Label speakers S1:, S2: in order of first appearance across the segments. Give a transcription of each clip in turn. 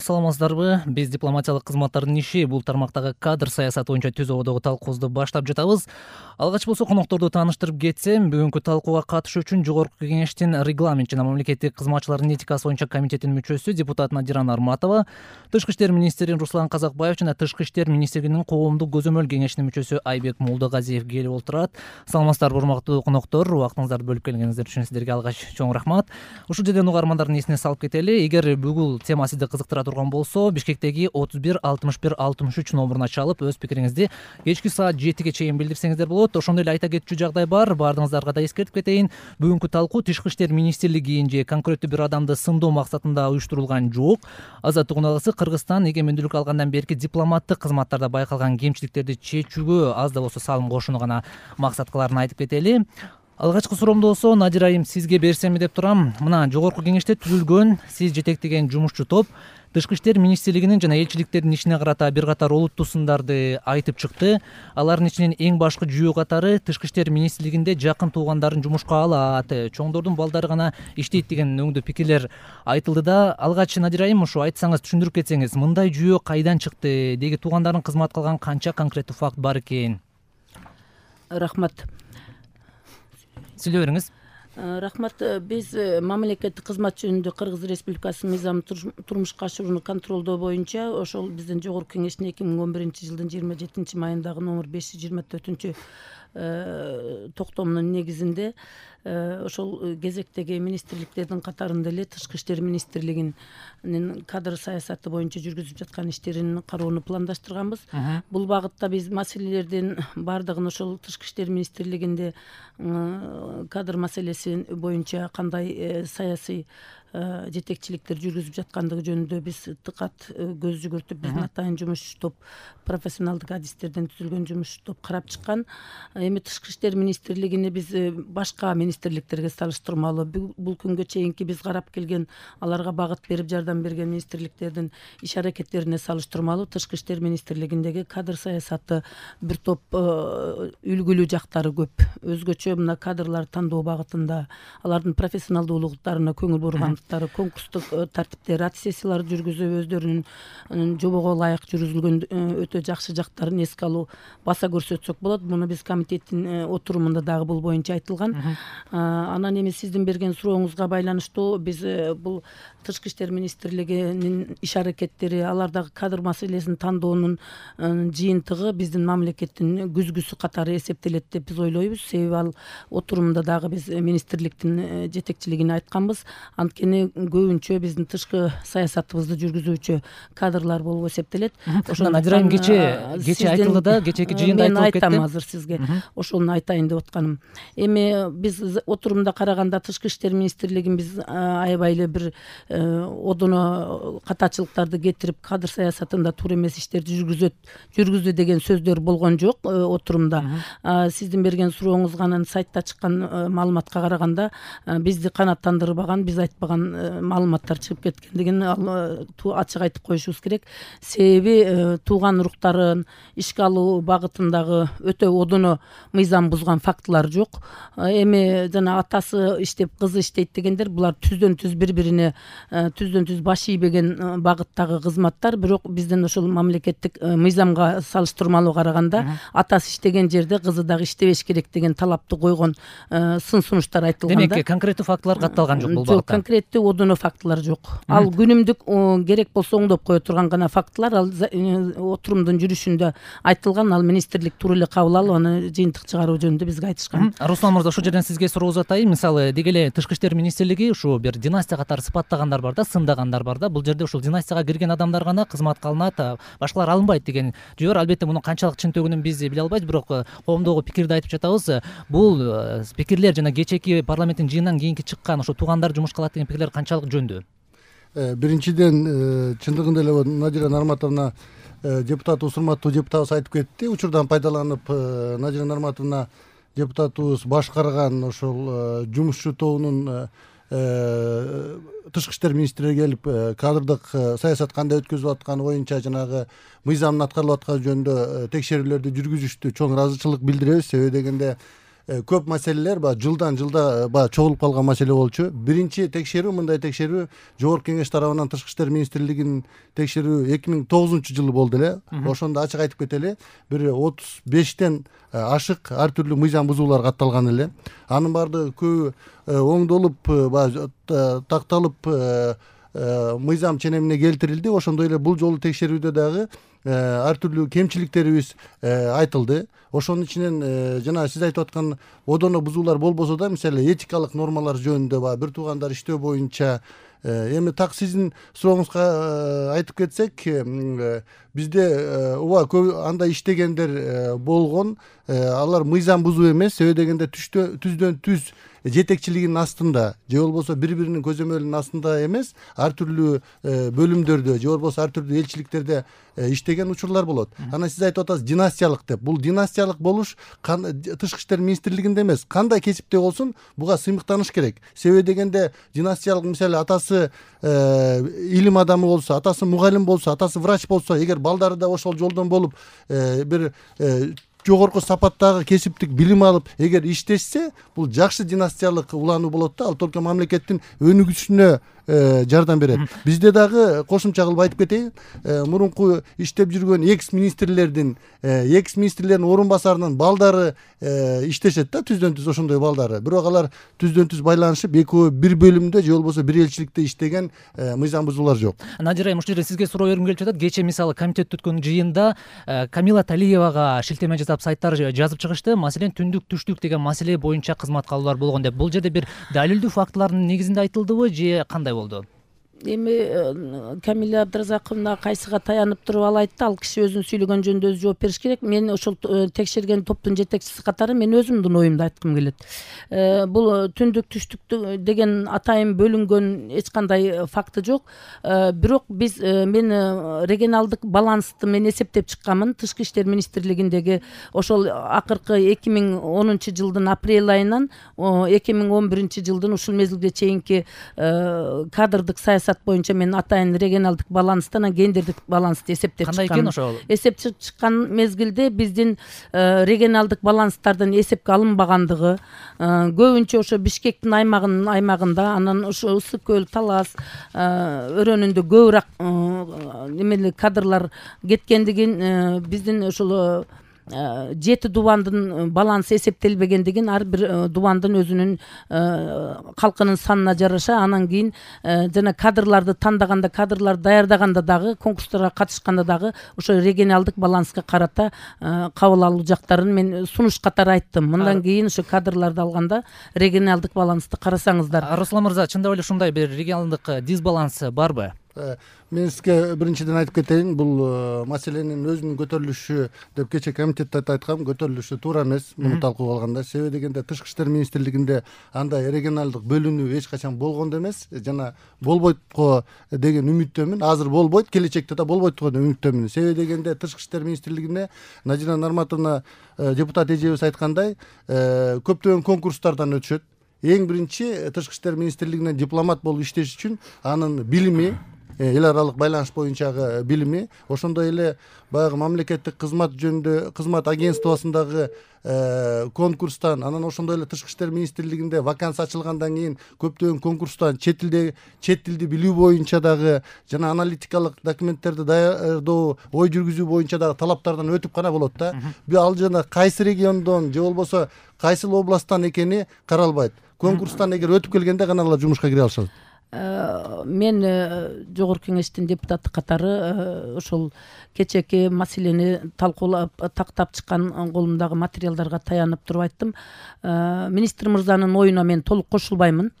S1: саламатсыздарбы? Биз дипломатиялык кызматтардын иши бул тармактагы кадр саясаты боюнча түз абалдагы талкуубузду баштап жатабыз. Алгач болсо конокторду тааныштырып кетсем, бүгүнкү талкууга катышуу үчүн Жогорку Кеңештин регламент жана мамлекеттик кызматчылардын этикасы боюнча комитетинин мүчөсү депутат Надира Нарматова, Тышкы иштер министри Руслан Казакбаев жана Тышкы иштер министрлигинин коомдук көзөмөл кеңешинин мүчөсү Айбек Молдогазиев келип отурат. Саламатсыздарбы урматтуу коноктор, убактыңыздарды бөлүп келгениңиздер үчүн сиздерге алгач чоң рахмат. Ушул жерден угармандардын эсине салып кетели. Эгер бүгүн тема сизди кызыктыра турган болсо, Бишкектеги 31 61 63 номуруна чалып өз пикириңизди кечки саат 7ге чейин билдирсеңиздер болот. Ошондой эле айта кетчү жагдай бар. Баардыгыңыздарга да эскертип кетейин. Бүгүнкү талкуу Тышкы иштер министрлигин же конкреттүү бир адамды сындоо максатында уюштурулган жок. Азаттык унаалысы Кыргызстан эгемендүүлүк алгандан берки дипломаттык кызматтарда байкалган кемчиликтерди чечүүгө аз да болсо салым кошууну гана максат кылаарын айтып кетели. Алгачкы суроомду болсо, Надира айым, сизге берсемби деп турам. Мына Жогорку Кеңеште түзүлгөн, сиз жетектеген жумушчу топ Тышкы иштер министрлигинин жана элчиликтердин ишине карата бир катар олуттуу сындарды айтып чыкты. Алардын ичинен эң башкы жүйөө катары Тышкы иштер министрлигинде жакын туугандарын жумушка алат, чоңдордун балдары гана иштейт деген өңдүү пикирлер айтылды да. Алгач Надира айым, ушу айтсаңыз, түшүндүрүп кетсеңиз, мындай жүйөө кайдан чыкты, деги туугандарын кызмат кылган канча конкреттүү факт бар экен?
S2: Рахмат.
S1: Сүйлөй бериңиз.
S2: Рахмат. Биз мамлекеттик кызмат жөнүндө Кыргыз Республикасынын мыйзамын турмушка ашыруну контролдоо боюнча ошол биздин Жогорку Кеңештин 2011-жылдын 27-майындагы номер 524 токтомунун негизинде ошол кезектеги министрликтердин катарында эле Тышкы иштер министрлигинин кадр саясаты боюнча жүргүзүп жаткан иштерин кароону пландаштырганбыз. Бул багытта биз маселелердин баардыгын ошол Тышкы иштер министрлигинде кадр маселеси боюнча кандай саясий жетекчиликтер жүргүзүп жаткандыгы жөнүндө биз тыкат көз жүгүртүп, биздин атайын жумушчу топ, профессионалдык адистерден түзүлгөн жумушчу топ карап чыккан. Эми Тышкы иштер министрлигини биз башка министрликтерге салыштырмалуу бул күнгө чейинки биз карап келген, аларга багыт берип жардам берген министрликтердин иш аракеттерине салыштырмалуу Тышкы иштер министрлигиндеги кадр саясаты бир топ үлгүлүү жактары көп. Өзгөчө мына кадрлар тандоо багытында алардын профессионалдуулуктарына көңүл бургандыктары, конкурстук тартиптер, аттестациялар жүргүзүп өздөрүнүн жобого ылайык жүргүзүлгөн өтө жакшы жактарын эске алуу баса көрсөтсөк болот. Муну биз комитеттин отурумунда дагы бул боюнча айтылган. Анан эми сиздин берген сурооңузга байланыштуу биз бул Тышкы иштер министрлигинин иш аракеттери, алардагы кадр маселесин тандоонун жыйынтыгы биздин мамлекеттин күзгүсү катары эсептелет деп биз ойлойбуз. Себеби ал отурумда дагы биз министрликтин жетекчилигине айтканбыз. Анткени көбүнчө биздин тышкы саясатыбызды жүргүзүүчү кадрлар болуп эсептелет.
S1: Ошондон Надира айым, кечээ айтылды да, кечээки жыйында айтылып кетти.
S2: Мен айтам азыр сизге. Ошону айтайын деп атканым. Эми биз отурумда караганда Тышкы иштер министрлигин биз аябай эле бир одоно катачылыктарды кетирип кадр саясатында туура эмес иштерди жүргүздү деген сөздөр болгон жок отурумда. Сиздин берген сурооңузга анан сайтта чыккан маалыматка караганда бизди канааттандырбаган, биз айтпаган маалыматтар чыгып кеткендигин ачык айтып коюшубуз керек. Себеби тууган уруктарын ишке алуу багытындагы өтө одоно мыйзам бузган фактылар жок. Эми жана атасы иштеп, кызы иштейт дегендер, булар түздөн түз бири-бирине түздөн түз баш ийбеген багыттагы кызматтар. Бирок биздин ошол мамлекеттик мыйзамга салыштырмалуу караганда атасы иштеген жерде кызы дагы иштебеш керек деген талапты койгон сын сунуштар айтылган.
S1: Демек, конкреттүү фактылар катталган жок бул багытта.
S2: Жок, конкреттүү одоно фактылар жок. Ал күнүмдүк керек болсо оңдоп кое турган гана фактылар. Ал отурумдун жүрүшүндө айтылган, ал министрлик туура эле кабыл алып, аны жыйынтык чыгаруу жөнүндө бизге айтышкан.
S1: Руслан мырза, ошол жерден сизге суроо узатайын. Мисалы, деги эле Тышкы иштер министрлиги ушу бир династия катары сыпаттагандар бар да, сындагандар бар да. Бул жерде ушул династияга кирген адамдар гана кызматка алынат, башкалар алынбайт деген жөө бар. Албетте мунун канчалык чынтөгүнүн биз биле албайбыз, бирок коомдогу пикирди айтып жатабыз. Бул пикирлер жана кечээки парламенттин жыйынынан кийинки чыккан ошо туугандар жумушка алат деген пикирлер канчалык жөндүү?
S3: Биринчиден, чындыгында эле Надира Нарматовна, депутатыбыз, урматтуу депутатыбыз айтып кетти. Учурдан пайдаланып, Надира Нарматовна депутатыбыз башкарган ошол жумушчу тобунун Тышкы иштер министрлиги келип кадрдык саясат кандай өткөзүлүп атканы боюнча жанагы мыйзамдын аткарылып атканы жөнүндө текшерүүлөрдү жүргүзүштү. Чоң ыраазычылык билдиребиз. Себеби дегенде көп маселелер баягы жылдан жылда баягы чогулуп калган маселе болчу. Биринчи текшерүү, мындай текшерүү Жогорку Кеңеш тарабынан Тышкы иштер министрлигинин текшерүү 2009-жылы болду эле. Ошондо ачык айтып кетели, бир 35тен ашык ар түрдүү мыйзам бузуулар катталган эле. Анын баардыгы көбү оңдолуп, баягы такталып, мыйзам ченемине келтирилди. Ошондой эле бул жолу текшерүүдө дагы ар түрдүү кемчиликтерибиз айтылды. Ошонун ичинен жана сиз айтып аткан одоно бузуулар болбосо да, мисалы этикалык нормалар жөнүндө баягы бир туугандар иштөө боюнча эми так сиздин сурооңузга айтып кетсек, бизде ооба көп андай иштегендер болгон. Алар мыйзам бузуу эмес, себеби дегенде түздөн түз жетекчилигинин астында же болбосо бири-биринин көзөмөлүнүн астында эмес, ар түрдүү бөлүмдөрдө же болбосо ар түрдүү элчиликтерде иштеген учурлар болот. Анан сиз айтып атасыз династиялык деп. Бул династиялык болуш Тышкы иштер министрлигинде эмес, кандай кесипте болсун буга сыймыктаныш керек. Себеби дегенде династиялык, мисалы атасы илим адамы болсо, атасы мугалим болсо, атасы врач болсо, эгер балдары да ошол жолдон болуп бир жогорку сапаттагы кесиптик билим алып, эгер иштешсе, бул жакшы династиялык улануу болот да, ал только мамлекеттин өнүгүшүнө жардам берет. Бизде дагы кошумча кылып айтып кетейин, мурунку иштеп жүргөн экс министрлердин орун басарынын балдары иштешет да, түздөн түз ошондой балдары. Бирок алар түздөн түз байланышып, экөө бир бөлүмдө же болбосо бир элчиликте иштеген мыйзам бузуулар жок.
S1: Надира айым, ушул жерде сизге суроо бергим келип жатат. Кечээ мисалы комитетте өткөн жыйында Камила Талиевага шилтеме жасап сайттар жазып чыгышты. Маселен түндүк түштүк деген маселе боюнча кызматка алуулар болгон деп. Бул жерде бир далилдүү фактылардын негизинде айтылдыбы же кандай болду?
S2: Эми Камила Абдыразаковна кайсыга таянып туруп ал айтты, ал киши өзүнүн сүйлөгөн жөнүндө өзү жооп бериш керек. Мен ошол текшерген топтун жетекчиси катары мен өзүмдүн оюмду айткым келет. Бул түндүк түштүк деген атайын бөлүнгөн эч кандай факты жок. Бирок мен регионалдык балансты мен эсептеп чыкканмын. Тышкы иштер министрлигиндеги ошол акыркы 2010-жылдын апрель айынан 2011-жылдын ушул мезгилге чейинки кадрдык саясат боюнча мен атайын регионалдык баланстан гендердик балансты эсептеп чыккам.
S1: Кандай экен ошол?
S2: Эсептеп чыккан мезгилде биздин регионалдык баланстардын эсепке алынбагандыгы, көбүнчө ошо Бишкектин аймагында, анан ошо Ысык көл, Талас өрөөнүндө көбүрөөк эмеле кадрлар кеткендигин, биздин ошол 7 дубандын балансы эсептелбегендигин, ар бир дубандын өзүнүн калкынын санына жараша, анан кийин жана кадрларды тандаганда, кадрларды даярдаганда дагы, конкурстарга катышканда дагы ошо регионалдык баланска карата кабыл алуу жактарын мен сунуш катары айттым. Мындан кийин ошо кадрларды алганда регионалдык балансты карасаңыздар.
S1: Руслан мырза, чындап эле ушундай бир регионалдык дисбаланс барбы?
S3: Мен сизге биринчиден айтып кетейин, бул маселенин өзүнүн көтөрүлүшү деп кечээ комитетте айткам, көтөрүлүшү туура эмес муну талкуу кылганда. Себеби дегенде Тышкы иштер министрлигинде андай регионалдык бөлүнүү эч качан болгон да эмес, жана болбойт го деген үмүттөмүн. Азыр болбойт, келечекте да болбойт деген үмүттөмүн. Себеби дегенде Тышкы иштер министрлигине Надира Нарматовна депутат эжебиз айткандай, көптөгөн конкурстардан өтүшөт. Эң биринчи Тышкы иштер министрлигинен дипломат болуп иштеш үчүн анын билими, эл аралык байланыш боюнчагы билими, ошондой эле баягы мамлекеттик кызмат жөнүндө кызмат агентствосундагы конкурстан, анан ошондой эле Тышкы иштер министрлигинде вакансия ачылгандан кийин көптөгөн конкурстан чет тилди билүү боюнча дагы жана аналитикалык документтерди даярдоо, ой жүргүзүү боюнча дагы талаптардан өтүп гана болот да. Ал жана кайсы региондон же болбосо кайсыл областтан экени каралбайт. Конкурстан эгер өтүп келгенде гана алар жумушка кире алышат.
S2: Мен Жогорку Кеңештин депутаты катары ошол кечээки маселени талкуулап тактап чыккан колумдагы материалдарга таянып туруп айттым. Министр мырзанын оюна мен толук кошулбаймын.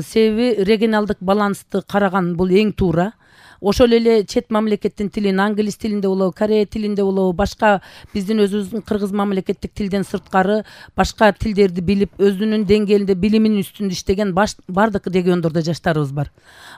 S2: Себеби регионалдык балансты караган бул эң туура. Ошол эле чет мамлекеттин тилин, англис тилинде болобу, корей тилинде болобу, башка биздин өзүбүздүн кыргыз мамлекеттик тилден сырткары башка тилдерди билип, өзүнүн деңгээлинде билиминин үстүндө иштеген бардык региондордо жаштарыбыз бар.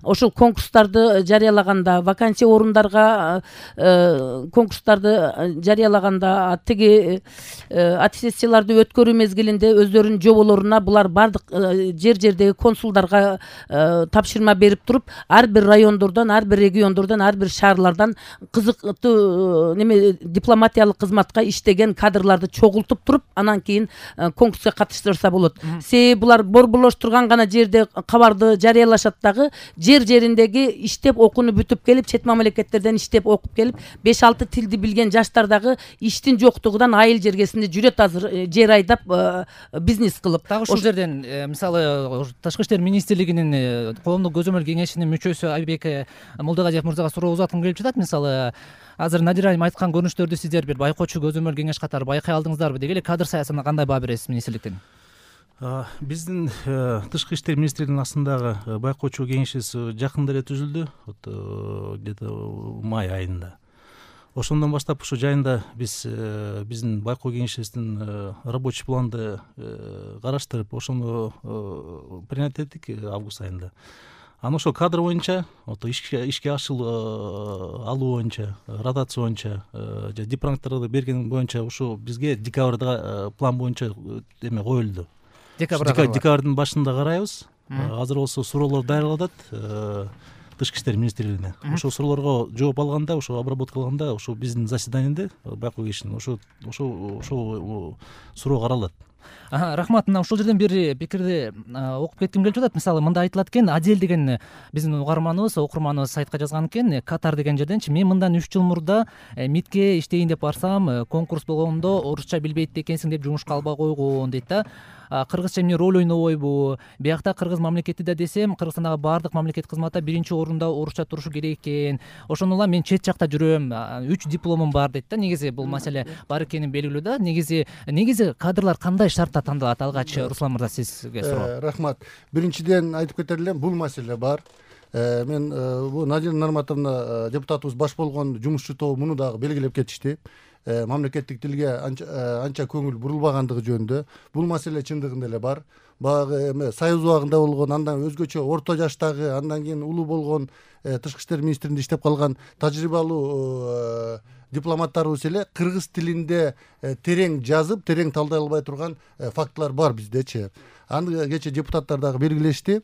S2: Ошол конкурстарды жарыялаганда, вакансия орундарга конкурстарды жарыялаганда, тиги аттестацияларды өткөрүү мезгилинде өздөрүнүн жоболоруна булар бардык жер-жердеги консулдарга тапшырма берип туруп, ар бир райондордон, ар бир региондордон ар бир шаарлардан кызыктуу неме дипломатиялык кызматка иштеген кадрларды чогултуп туруп анан кийин конкурска катыштырса болот. Себеби булар борборлоштурган гана жерде кабарды жарыялашат дагы, жер жериндеги иштеп окууну бүтүп келип, чет мамлекеттерден иштеп окуп келип 5-6 тилди билген жаштар дагы иштин жоктугунан айыл жергесинде жүрөт азыр, жер айдап бизнес кылып.
S1: Дагы ушул жерден мисалы Тышкы иштер министрлигинин коомдук көзөмөл кеңешинин мүчөсү Айбек Молдогадиев мырзага суроо узаткым келип жатат. Мисалы азыр Надира айым айткан көрүнүштөрдү сиздер бир байкоочу көзөмөл кеңеш катары байкай алдыңыздарбы деги эле кадр саясатына кандай баа бересиз министрликтен?
S4: Биздин Тышкы иштер министрлигинин астындагы байкоочу кеңешибиз жакында эле түзүлдү, где-то май айында. Ошондон баштап ушу жайында биздин байкоо кеңешибиздин рабочий планды караштырып, ошону принять эттик август айында. Анан ошол кадр боюнча, ишке алуу боюнча, ротация боюнча, дипломаттарды берген боюнча ушу бизге декабрда план боюнча эме коюлду. Декабрдын башында карайбыз. Азыр болсо суроолор даярдалып атат Тышкы иштер министрлигине. Ошол суроолорго жооп алганда, ошо обработка кылганда, ошо биздин заседаниеде байкоо кеңешинин ошол суроо каралат.
S1: Рахмат. Мына ушул жерден бир пикирди окуп кетким келип жатат. Мисалы мында айтылат экен, Адел деген биздин угарманыбыз, окурманыбыз сайтка жазган экен, Катар деген жерденчи мен мындан 3 жыл мурда МИДке иштейин деп барсам, конкурс болгондо орусча билбейт экенсиң деп жумушка албай койгон дейт да. Кыргызча эмне роль ойнобойбу? Биякта кыргыз мамлекети да десем, Кыргызстандагы баардык мамлекет кызматта биринчи орунда орусча турушу керек экен. Ошону улам мен чет жакта жүрөм, 3 дипломум бар дейт да. Негизи бул маселе бар экени белгилүү да. Негизи кадрлар кандай шартта тандалат? Алгач Руслан мырза сизге суроо.
S3: Рахмат. Биринчиден айтып кетер элем, бул маселе бар. Мен бул Надира Нарматовна депутатыбыз баш болгон жумушчу топ муну дагы белгилеп кетишти. Мамлекеттик тилге анча көңүл бурулбагандыгы жөнүндө. Бул маселе чындыгында эле бар. Баягы эме Союз убагында болгон, андан өзгөчө орто жаштагы, андан кийин улуу болгон Тышкы иштер министрлигинде иштеп калган тажрыйбалуу дипломаттарыбыз эле кыргыз тилинде терең жазып, терең талдай албай турган фактылар бар биздечи. Аны кечээ депутаттар дагы белгилешти.